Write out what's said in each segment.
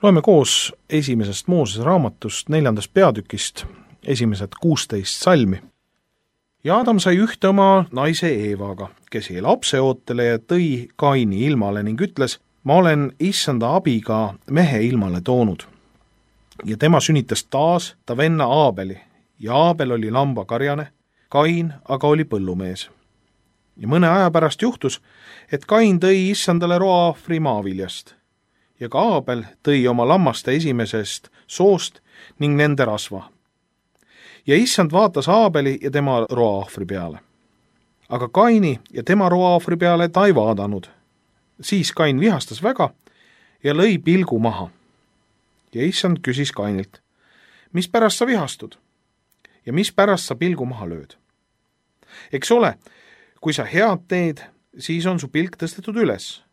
Loeme koos esimesest Moosese raamatust 4. peatükist esimesed 16 salmi. Ja Adam sai ühte oma naise Eevaga, kes jäi lapseootele ja tõi Kaini ilmale ning ütles, ma olen issanda abiga mehe ilmale toonud. Ja tema sünnitas taas ta venna Aabeli ja Aabel oli lambakarjane, Kain aga oli põllumees. Ja mõne aja pärast juhtus, et Kain tõi issandale roaahvri maaviljast ja ka Aabel tõi oma lammaste esimesest soost ning nende rasva. Ja issand vaatas Aabeli ja tema roaahvri peale. Aga Kaini ja tema roaahvri peale ta ei vaadanud. Siis Kain vihastas väga ja lõi pilgu maha. Ja issand küsis Kainilt, mis pärast sa vihastud ja mis pärast sa pilgu maha lööd? Eks ole, kui sa head teed, siis on su pilk tõstetud üles.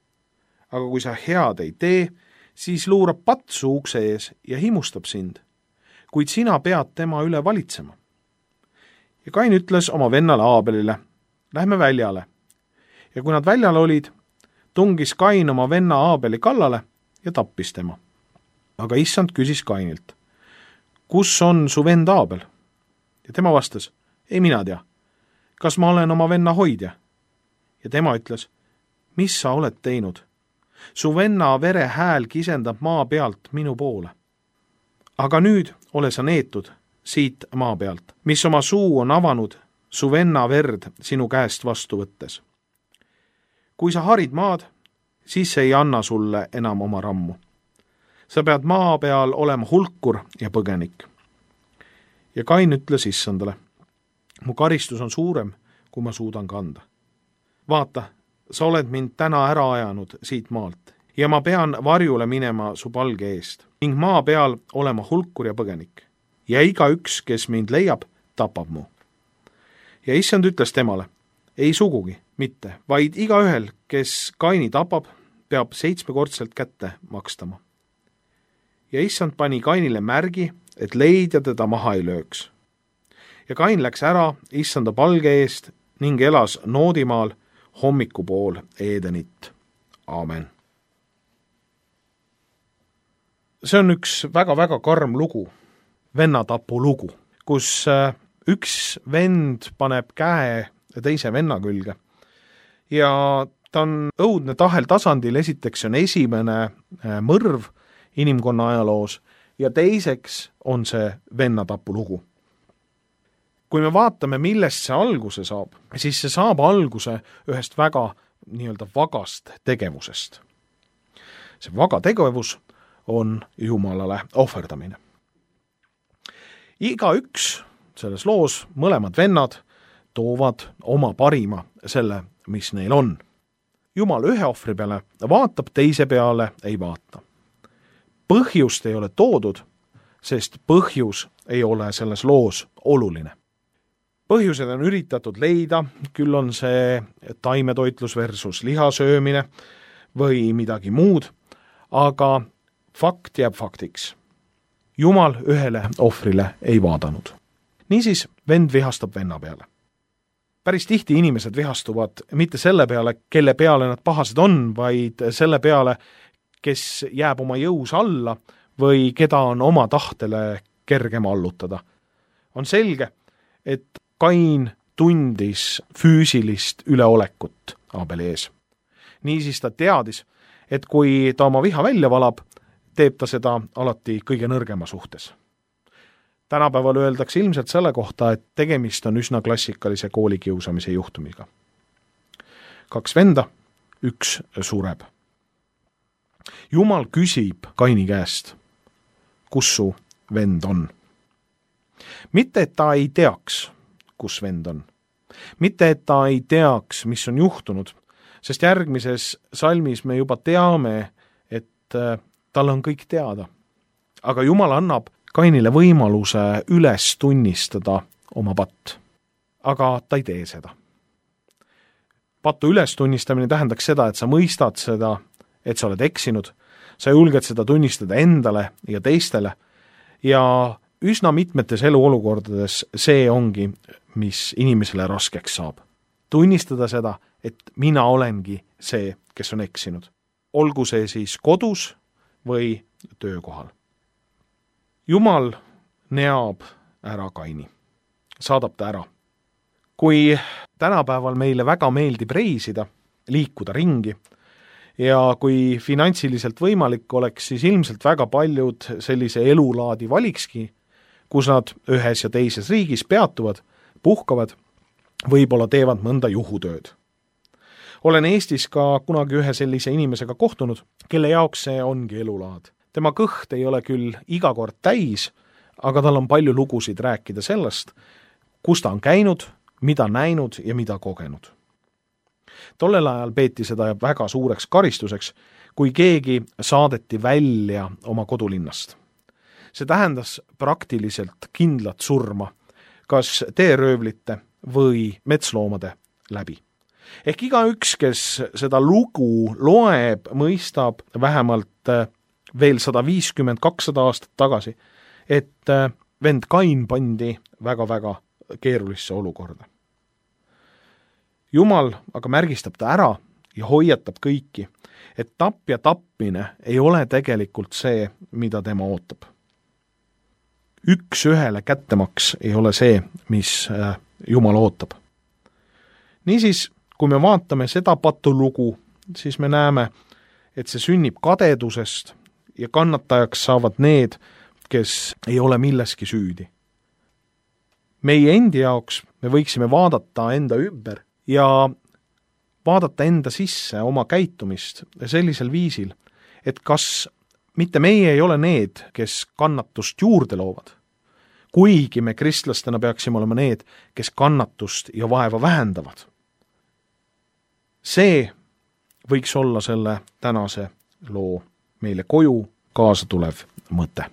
Aga kui sa head ei tee, siis luurab patsu ukse ees ja himustab sind, kuid sina pead tema üle valitsema. Ja Kain ütles oma vennale Aabelile, lähme väljale. Ja kui nad väljal olid, tungis Kain oma venna Aabeli kallale ja tappis tema. Aga issand küsis Kainilt, kus on su vend Aabel? Ja tema vastas, ei mina tea, kas ma olen oma venna hoidja? Ja tema ütles, mis sa oled teinud? Su venna vere hääl kisendab maa pealt minu poole. Aga nüüd ole sa neetud siit maa pealt, mis oma suu on avanud su venna verd sinu käest vastu võttes. Kui sa harid maad, siis see ei anna sulle enam oma rammu. Sa pead maa peal olema hulkur ja põgenik. Ja Kain ütles issandale, mu karistus on suurem, kui ma suudan kanda. Vaata, sa oled mind täna ära ajanud siit maalt ja ma pean varjule minema su palge eest ning maa peal olema hulkur ja põgenik. Ja igaüks, kes mind leiab, tapab mu. Ja issand ütles temale, ei sugugi mitte, vaid igaühel, kes Kaini tapab, peab 7-kordselt kätte makstama. Ja issand pani Kainile märgi, et leidja teda maha ei lööks. Ja Kain läks ära issanda palge eest ning elas Noodimaal hommikupool Edenit. Aamen. See on üks väga-väga karm lugu, vennatapu lugu, kus üks vend paneb käe teise venna külge. Ja ta on õudne tahel tasandil, esiteks on esimene mõrv inimkonna ajaloos ja teiseks on see vennatapu lugu. Kui me vaatame, millest see alguse saab, siis see saab alguse ühest väga vagast tegevusest. See vaga tegevus on Jumalale ohverdamine. Igaüks selles loos, mõlemad vennad, toovad oma parima selle, mis neil on. Jumal ühe ohvri peale vaatab, teise peale ei vaata. Põhjust ei ole toodud, sest põhjus ei ole selles loos oluline. Põhjused on üritatud leida, küll on see taimetoitlus versus lihasöömine või midagi muud, aga fakt jääb faktiks. Jumal ühele ohvrile ei vaadanud. Niisiis vend vihastab venna peale. Päris tihti inimesed vihastuvad mitte selle peale, kelle peale nad pahased on, vaid selle peale, kes jääb oma jõus alla või keda on oma tahtele kergem allutada. On selge, et Kain tundis füüsilist üleolekut Aabeli ees. Niisiis ta teadis, et kui ta oma viha välja valab, teeb ta seda alati kõige nõrgema suhtes. Tänapäeval öeldakse ilmselt selle kohta, et tegemist on üsna klassikalise koolikiusamise juhtumiga. 2 venda, 1 sureb. Jumal küsib Kaini käest, kus su vend on. Mitte, et ta ei teaks, kus vend on. Mitte, et ta ei teaks, mis on juhtunud, sest järgmises salmis me juba teame, et tal on kõik teada. Aga Jumal annab Kainile võimaluse üles tunnistada oma patt. Aga ta ei tee seda. Patu üles tunnistamine tähendaks seda, et sa mõistad seda, et sa oled eksinud, sa julged seda tunnistada endale ja teistele ja üsna mitmetes eluolukordades see ongi, mis inimesele raskeks saab. Tunnistada seda, et mina olengi see, kes on eksinud. Olgu see siis kodus või töökohal. Jumal neab ära Kaini, saadab ta ära. Kui tänapäeval meile väga meeldib reisida, liikuda ringi, ja kui finantsiliselt võimalik oleks, siis ilmselt väga paljud sellise elulaadi valikski, kus nad ühes ja teises riigis peatuvad, puhkavad, võib-olla teevad mõnda juhutööd. Olen Eestis ka kunagi ühe sellise inimesega kohtunud, kelle jaoks see ongi elulaad. Tema kõht ei ole küll iga kord täis, aga tal on palju lugusid rääkida sellest, kus ta on käinud, mida näinud ja mida kogenud. Tollel ajal peeti seda väga suureks karistuseks, kui keegi saadeti välja oma kodulinnast. See tähendas praktiliselt kindlat surma, kas teeröövlite või metsloomade läbi. Ehk igaüks, kes seda lugu loeb, mõistab vähemalt veel 150-200 aastat tagasi, et vend Kain pandi väga-väga keerulisse olukorda. Jumal aga märgistab ta ära ja hoiatab kõiki, et tapja tapmine ei ole tegelikult see, mida tema ootab. Üks ühele kättemaks ei ole see, mis Jumal ootab. Niisiis, kui me vaatame seda patulugu, siis me näeme, et see sünnib kadedusest ja kannatajaks saavad need, kes ei ole milleski süüdi. Meie endi jaoks me võiksime vaadata enda ümber ja vaadata enda sisse oma käitumist sellisel viisil, et kas mitte meie ei ole need, kes kannatust juurde loovad, kuigi me kristlastena peaksime olema need, kes kannatust ja vaeva vähendavad. See võiks olla selle tänase loo meile koju kaasa tulev mõte.